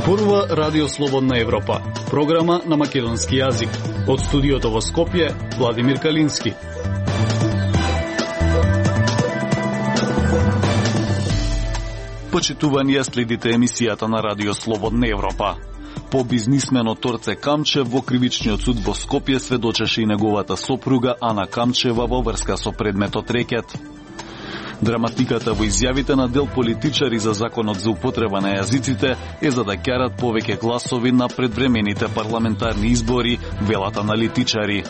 Зборува Радио Слободна Европа, програма на македонски јазик. Од студиото во Скопје, Владимир Калински. Почитувани, ја следите емисијата на Радио Слободна Европа. По бизнисменот Торце Камчев во кривичниот суд во Скопје сведочеше и неговата сопруга Ана Камчева во врска со предметот рекет. Драматиката во изјавите на дел политичари за законот за употреба на јазиците е за да ќарат повеќе гласови на предвремените парламентарни избори, велат аналитичари.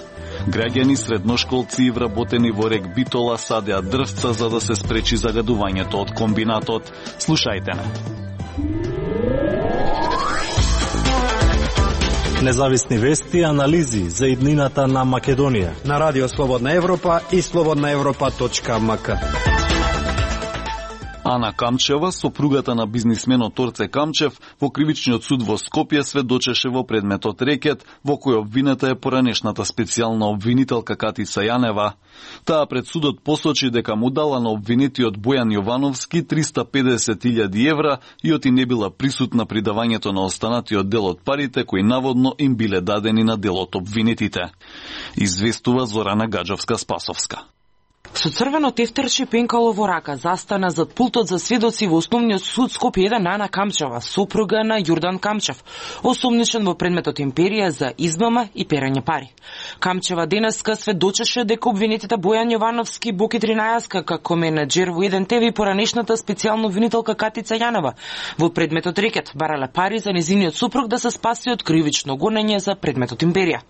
Граѓани, средношколци и вработени во рек Битола садеа дрвца за да се спречи загадувањето од комбинатот. Слушајте не. Независни вести и анализи за иднината на Македонија на Радио Слободна Европа и slobodnaevropa.mk. Ана Камчева, сопругата на бизнисменот Торце Камчев, во кривичниот суд во Скопје сведочеше во предметот рекет, во кој обвинета е поранешната специјална обвинителка Катица Јанева. Таа пред судот посочи дека му дала на обвинетиот Бојан Јовановски 350.000 евра и оти не била присутна при давањето на останатиот дел од парите кои наводно им биле дадени на дел од обвинетите. Известува Зорана Гаджовска-Спасовска. Со црвено тефтерче пенкало во рака застана зад пултот за сведоци во Основниот суд Скопје 1 Ана Камчева, сопруга на Јордан Камчев, осумничен во предметот Империја за измама и перање пари. Камчева денеска сведочеше дека обвинетите Бојан Јовановски, Боки 13 како менаџер во 1 ТВ и поранешната специјална обвинителка Катица Јанева во предметот рекет барале пари за незиниот сопруг да се спаси од кривично гонење за предметот Империја.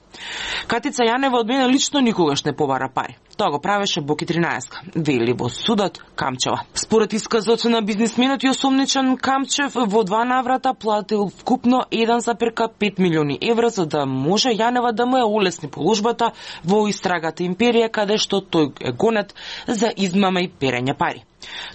Катица Јанева од мене лично никогаш не побара пари. Тоа го правеше Боки 13, вели во судот Камчева. Според исказот на бизнисменот и осумничен Камчев во 2 наврата платил вкупно 1,5 милиони евра за да може Јанева да му ја олесни положбата во истрагата Империја, каде што тој е гонет за измама и перење пари.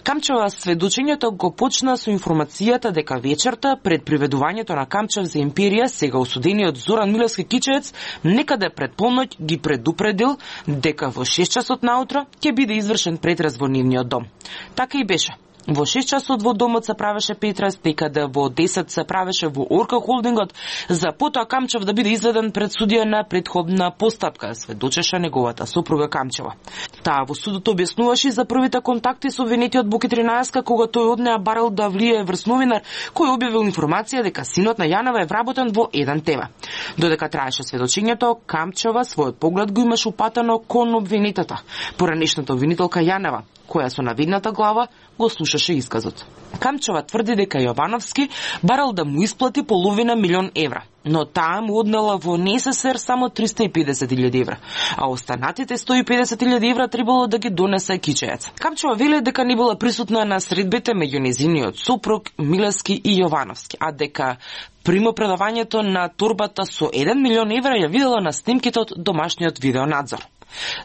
Камчева сведочењето го почна со информацијата дека вечерта пред приведувањето на Камчев за Империја, сега осудениот Зоран Милевски Кичеец, некаде пред полноќ ги предупредил дека во 6 часот наутро ќе биде извршен претрес во нивниот дом. Така и беше. Во 6 часот во домот се правеше претрес, некаде во 10 се правеше во Орка холдингот, за потоа Камчев да биде изведен пред судија на претходна постапка, сведочеше неговата сопруга Камчева. Таа во судот објаснуваше за првите контакти со обвинетиот Боки 13 кога тој од неа барал да влие врз новинар кој објавил информација дека синот на Јанева е вработен во 1 ТВ. Додека траеше сведочењето, Камчева својот поглед го имаше упатено кон обвинетата, поранешната обвинителка Јанева, која со навидната глава го слушаше исказот. Камчева тврди дека Јовановски барал да му исплати половина милион евра, но таа му однела во НССР само 350.000 евра, а останатите 150.000 евра требало да ги донесе Кичеец. Камчева вели дека не била присутна на средбите меѓу незиниот сопруг Милевски и Јовановски, а дека примопредавањето на торбата со 1 милион евра ја видела на снимките од домашниот видеонадзор.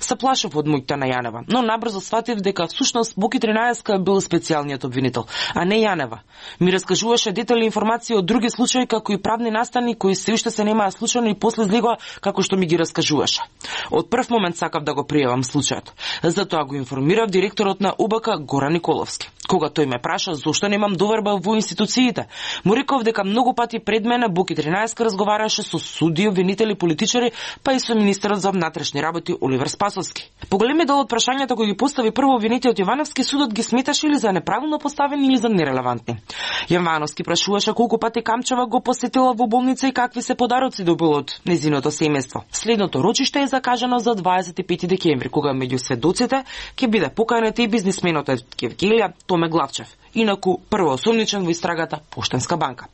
Се плашев од моќта на Јанева, но набрзо сватив дека всушност Боки 13 бил специјалниот обвинител, а не Јанева. Ми раскажуваше детали информации од други случаи, како и правни настани кои се уште се немаа случајно и после излегоа како што ми ги раскажуваше. Од прв момент сакав да го пријавам случајот. Затоа го информирав директорот на УБК Горан Николовски. Кога тој ме праша зошто немам доверба во институциите, му реков дека многу пати пред мене Боки 13 разговараше со суди, обвинители, политичари, па и со министерот за внатрешни работи Оливер Спасовски. Поголеми дел од прашањата кои ги постави прво обвинетиот Јовановски, судот ги сметаше или за неправилно поставени или за нерелевантни. Јовановски прашуваше колку пати Камчева го посетила во болница и какви се подароци добил од незиното семејство. Следното рочиште е закажано за 25 декември, кога меѓу сведоците ќе биде поканет и бизнисменот Евгелија Томе Главчев, инаку прво осумничен во истрагата Поштенска банка.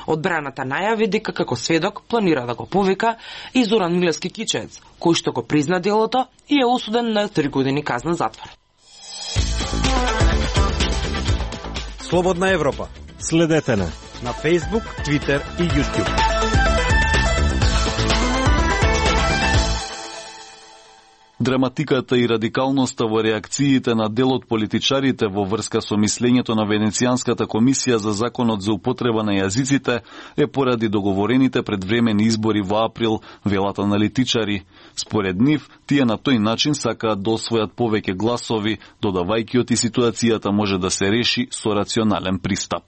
Одбраната најави дека како сведок планира да го повика и Зоран Милевски Кичеец, кој што го призна делото и е осуден на 3 години казна затвор. Слободна Европа. Следете на Facebook, Twitter и YouTube. Драматиката и радикалноста во реакциите на дел од политичарите во врска со мислењето на Венецијанската комисија за законот за употреба на јазиците е поради договорените предвремени избори во април, велат аналитичари. Според нив, тие на тој начин сакаат да освојат повеќе гласови, додавајќи оти ситуацијата може да се реши со рационален пристап.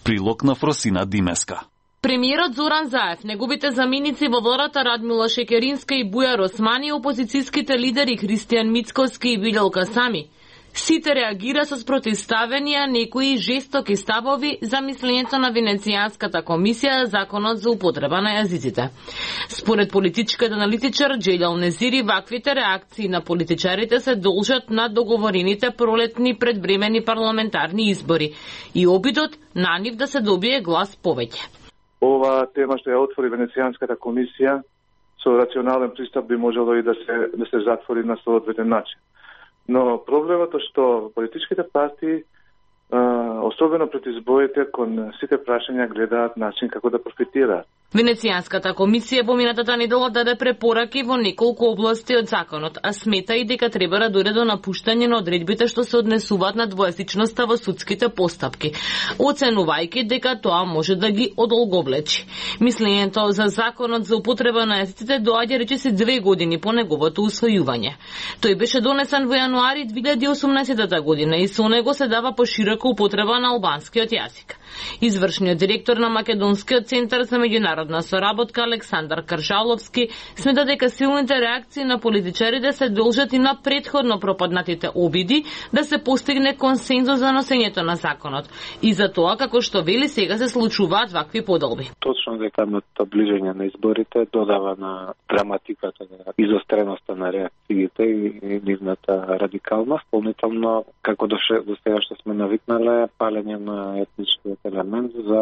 Прилог на Фросина Димеска. Премиерот Зоран Заев, неговите заменици во владата Радмила Шекеринска и Бујар Османи, опозицијските лидери Христијан Мицковски и Виделка Сами, сите реагира со спротивставени некои жестоки ставови за мислењето на Венецијанската комисија за законот за употреба на јазиците. Според политичкиот аналитичар Джелјал Незири, ваквите реакции на политичарите се должат на договорените пролетни предвремени парламентарни избори и обидот на нив да се добие глас повеќе. Ова тема што ја отвори Венецијанската комисија со рационален пристап би можело и да се затвори на соодветен начин. Но проблемот е што политичките партии, особено пред изборите, кон сите прашања гледаат начин како да профитираат. Венецијанската комисија поминатата недела даде препораки во неколку области од законот, а смета и дека треба да дојде до напуштање на одредбите што се однесуваат на двојазичноста во судските постапки, оценувајќи дека тоа може да ги одолговлечи. Мислењето за законот за употреба на јазиците доаѓа речиси 2 години по неговото усвојување. Тој беше донесен во јануари 2018 година и со него се дава поширока употреба на албанскиот јазик. Извршниот директор на Македонскиот центар за меѓународна соработка Александар Каржаловски смета дека силните реакции на политичарите се должат и на претходно пропаднатите обиди да се постигне консензус за носењето на законот и за тоа како што вели сега се случуваат вакви поделби. Точно дека ближење на изборите додава на драматиката, изостреноста на реакциите и нивната радикалност. Помнително како до сега што сме навикнале палење на етничкиот елемент за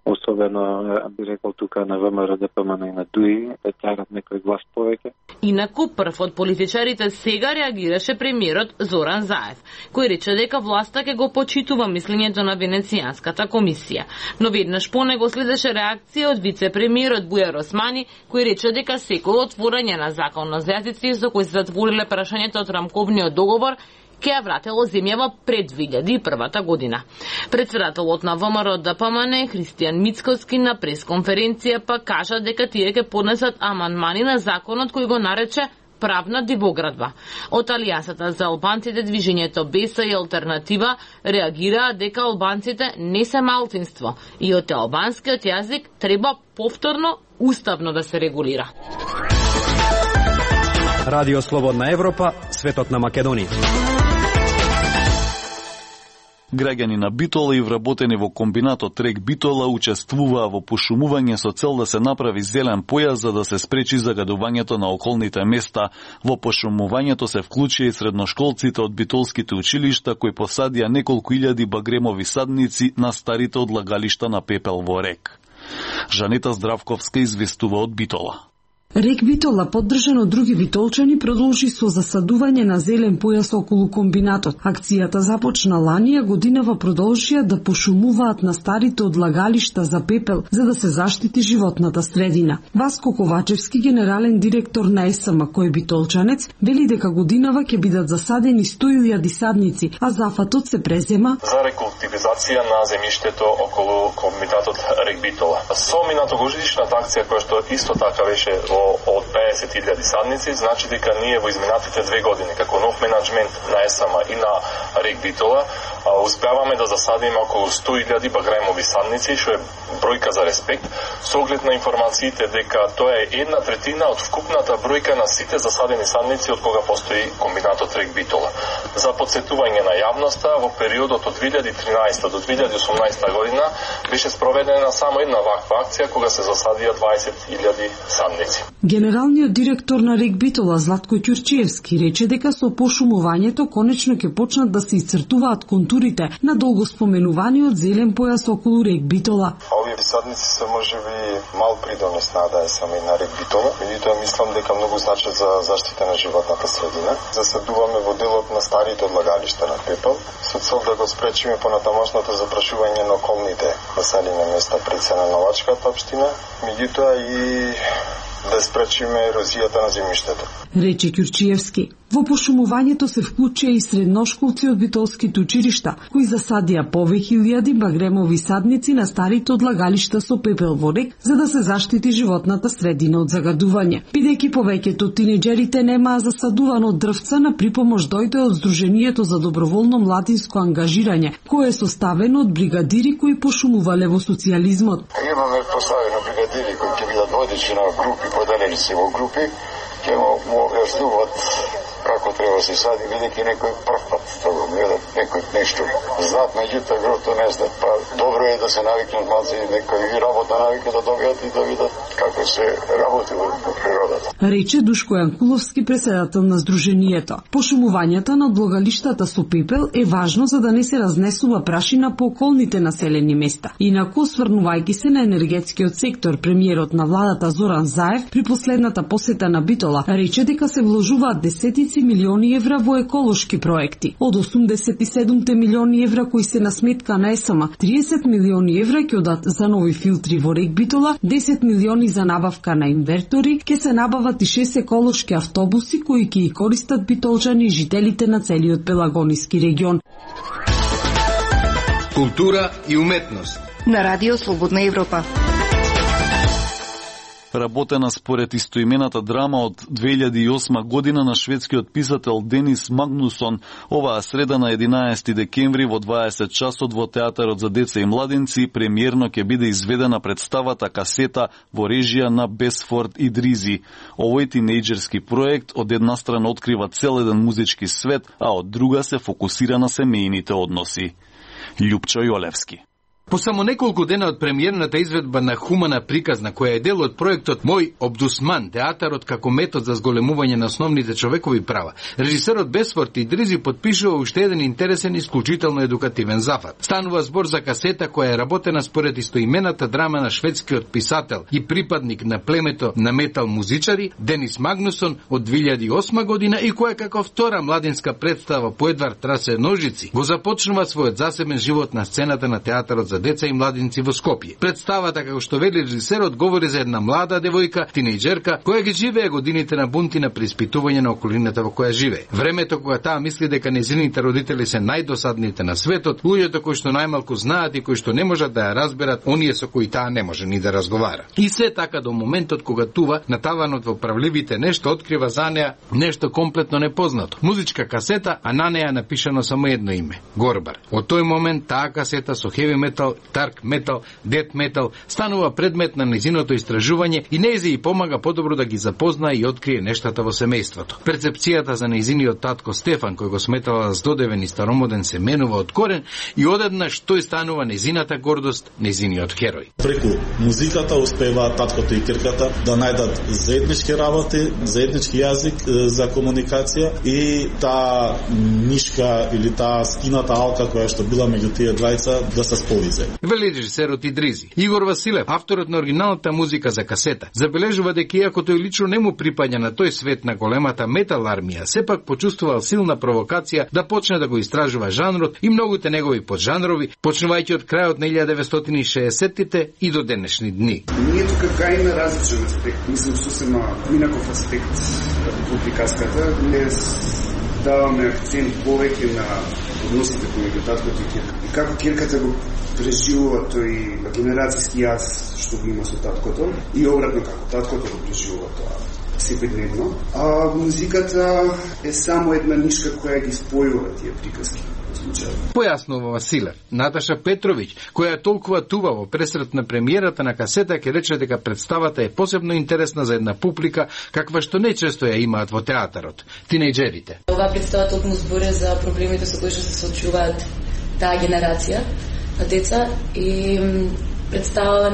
особено би рекол тука на ВМРО, ДПМН и на ДУИ да тјарат некој глас повеќе. Инаку прв од политичарите сега реагираше премиерот Зоран Заев, кој рече дека власта ќе го почитува мислењето на Венецијанската комисија. Но веднаш по него следеше реакција од вице-премиерот Бујар Османи, кој рече дека секој отворање на законот за јазици со кој се затвориле прашањето од рамковниот договор ќе ја вратело земјава пред 2001 година. Председателот на ВМРО ДПМН Христијан Мицковски на пресконференција па кажа дека тие ќе поднесат амандмани на законот кој го нарече правна дивоградба. Од Алијансата за албанците, движењето Беса и Алтернатива реагираа дека албанците не се малцинство и од албанскиот јазик треба повторно уставно да се регулира. Радио Слободна Европа, светот на Македонија. Граѓани на Битола и вработени во комбинатот Рек Битола учествуваа во пошумување со цел да се направи зелен појас за да се спречи загадувањето на околните места. Во пошумувањето се вклучија и средношколците од битолските училишта кои посадија неколку илјади багремови садници на старите одлагалишта на пепел во Рек. Жанета Здравковска известува од Битола. Рек Битола, поддржан од други битолчани, продолжи со засадување на зелен појас околу комбинатот. Акцијата започна ланија годинава, продолжија да пошумуваат на старите одлагалишта за пепел за да се заштити животната средина. Васко Ковачевски, генерален директор на ЕСМ, кој е битолчанец, вели дека годинава ќе бидат засадени 100.000 садници, а зафатот се презема за рекултивизација на земјиштето околу комбинатот Рек Битола. Со минатогодишната акција која што исто така беше од 50.000 садници, значи дека ние во изминатите 2 години, како нов менеджмент на ЕСМ и на Рек Битола, успеаваме да засадиме околу 100.000 багремови садници, што е бројка за респект, со оглед на информациите дека тоа е 1/3 од вкупната бројка на сите засадени садници од кога постои комбинатот Рек Битола. За подсетување на јавноста, во периодот од 2013 до 2018 година беше спроведена само една ваква акција кога се засадија 20.000 садници. Генералниот директор на Рек Битола Златко Ќурчиевски рече дека со пошумувањето конечно ќе почнат да се исцртуваат контурите на долго споменуваниот зелен појас околу Рек Битола. Овие садници се можеби мал придонес на да е само и на Рек Битола, меѓутоа мислам дека многу значат за заштита на животната средина. Засадуваме во делот на старите одлагалишта на пепел со цел да го спречиме понатамошното запрашување на околните населени места пред се на Новачката општина, меѓутоа и да спречиме ерозијата на земјиштето. Рече Ќурчиевски. Во пошумувањето се вклучија и средношколци од битолските училишта, кои засадија повеќе илјади багремови садници на старите одлагалишта со пепел во рек, за да се заштити животната средина од загадување. Бидејќи повеќето од тинеџерите немаа засадувано дрвца, на припомош дојде од Сдруженијето за доброволно младинско ангажирање, кое е составено од бригадири кои пошумувале во социјализмот. Имаме поставено бригадири кои ќе бидат водичи на групи, поделени се во групи, ќе му објаснуваат како треба се сади, бидејќи некој прв пат тоа гледат, некој нешто знаат, меѓутоа грото не знаат, па добро е да се навикнат малци, некои работна навика да добијат и да видат како се работи во природата. Рече Душко Јанкуловски, преседател на Сдруженијето. Пошумувањето на одлагалиштата со пепел е важно за да не се разнесува прашина по околните населени места. Инаку, осврнувајќи се на енергетскиот сектор, премиерот на владата Зоран Заев при последната посета на Битола рече дека се вложуваат десетици милиони евра во еколошки проекти. Од 87 милиони евра кои се на сметка на ЕСМ, 30 милиони евра ќе одат за нови филтри во рек Битола, 10 милиони за набавка на инвертори, ќе се набават и 6 еколошки автобуси кои ќе ги користат битолчани и жителите на целиот Пелагониски регион. Култура и уметност на Радио Слободна Европа. Работена според истоимената драма од 2008 година на шведскиот писател Денис Магнусон, оваа среда на 11 декември во 20 часот во Театарот за деца и младинци премиерно ќе биде изведена представата Касета во режија на Бесфорд Идризи. Овој тинејџерски проект од една страна открива цел еден музички свет, а од друга се фокусира на семејните односи. Љупчо Јолевски. По само неколку дена од премиерната изведба на хумана приказна, која е дел од проектот Мој Обдусман, театарот како метод за зголемување на основните човекови права, режисерот Бесфорд Идризи подпишува уште еден интересен и исклучително едукативен зафат. Станува збор за Касета која е работена според истоимената драма на шведскиот писател и припадник на племето на метал музичари Денис Магнусон од 2008 година и која како втора младинска представа по Едвард Трасе Ножици го започнува својот засебен живот на сцената на театарот за деца и младинци во Скопје. Представата, како што вели режисерот, говори за една млада девојка, тинејџерка, која ги живее годините на бунт и на преиспитување на околината во која живее. Времето кога таа мисли дека нејзините родители се најдосадните на светот, луѓето кои што најмалку знаат и кои што не можат да ја разберат, оние со кои таа не може ни да разговара. И се така до моментот кога тува на таванот во правливите нешто открива за неа нешто комплетно непознато. Музичка касета, а на неа напишано само едно име – Горбар. Од тој момент таа касета со хеви метал, дарк метал, дет метал станува предмет на незиното истражување и нејзе и помага подобро да ги запознае и открие нештата во семејството. Перцепцијата за нејзиниот татко Стефан, кој го сметала здодевен и старомоден, се менува од корен и одеднаш тој станува нејзината гордост, нејзиниот херој. Преку музиката успеваат таткото и ќерката да најдат заеднички работи, заеднички јазик за комуникација и таа нишка или таа скината алка која што била меѓу тие двајца да се сполизе. Вели режисерот Идризи. Игор Василев, авторот на оригиналната музика за Касета, забележува дека иако тој лично не му припаѓа на тој свет на големата метал армија, сепак почувствувал силна провокација да почне да го истражува жанрот и многуте негови поджанрови, почнувајќи од крајот на 1960-тите и до денешни дни. Ние тука гајме различен аспект, мислам сосема минаков аспект во приказката, не даваме акцент повеќе на односите помеѓу таткото и ќерката. И како ќерката го преживува тој генерацијски јаз што го има со таткото и обратно како таткото го преживува тоа секојдневно. А музиката е само една нишка која ги спојува тие приказки. Појаснува Василев. Наташа Петровиќ, која толкова тува во пресрет на премиерата на Касета, ќе рече дека представата е посебно интересна за една публика каква што нечесто ја имаат во театарот – тинејџерите. Ова представа токму збори за проблемите со кои што се соочуваат таа генерација на деца и представа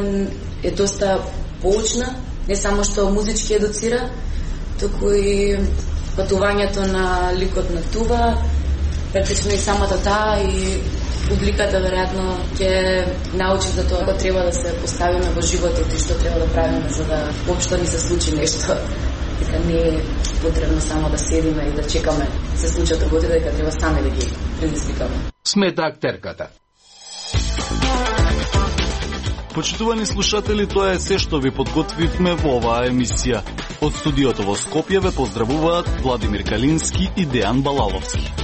е доста поучна, не само што музички едуцира, туку и патувањето на ликот на Тува, практично и самата таа и публиката веројатно ќе научи за тоа како треба да се поставиме во животот и што треба да правиме за да воопшто ни се случи нешто. Дека не е потребно само да седиме и да чекаме се случат работи, дека треба сами да ги предизвикаме. Смета актерката. Почитувани слушатели, тоа е се што ви подготвивме во оваа емисија. Од студиото во Скопје ве поздравуваат Владимир Калински и Дејан Балаловски.